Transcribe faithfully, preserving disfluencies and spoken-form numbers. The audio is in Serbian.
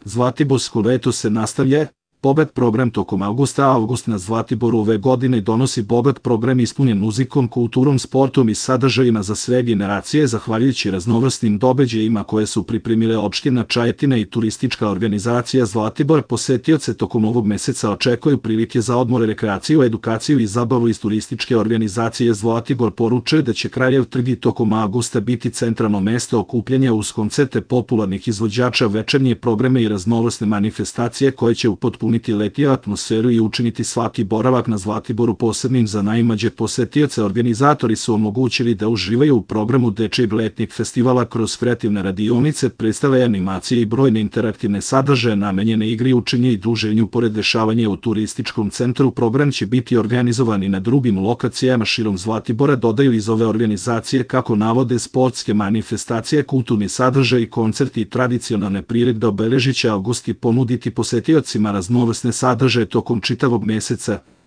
Zlatiborsko leto se nastavlja. Bogat program tokom avgusta. Avgust na Zlatiboru ove godine donosi bogat program ispunjen muzikom, kulturom, sportom i sadržajima za sve generacije, zahvaljujući raznovrsnim događajima koje su pripremile opština Čajetina i turistička organizacija Zlatibor. Posetioce tokom ovog meseca očekuju prilike za odmor, rekreaciju, edukaciju i zabavu. Iz turističke organizacije Zlatibor poručuje da će Kraljev trg i tokom avgusta biti centralno mesto okupljanja uz koncerte popularnih izvođača, večernje programe i raznovrsne manifestacije koje će upotpuniti letnju atmosferu i učiniti svaki boravak na Zlatiboru posebnim za najmlađe posetioce. Organizatori su omogućili da uživaju u programu dečijeg letnjeg festivala kroz kreativne radionice, predstave, animacije i brojne interaktivne sadržaje namenjene igri, učenju i druženju. Pored dešavanja u turističkom centru, program će biti organizovan i na drugim lokacijama širom Zlatibora, dodaju iz ove organizacije. Kako navode, sportske manifestacije, kulturni sadržaj, koncerti i tradicionalne priredbe obeležit će avgust i ponuditi posetiocima raznovrsne sadržaje tokom čitavog meseca.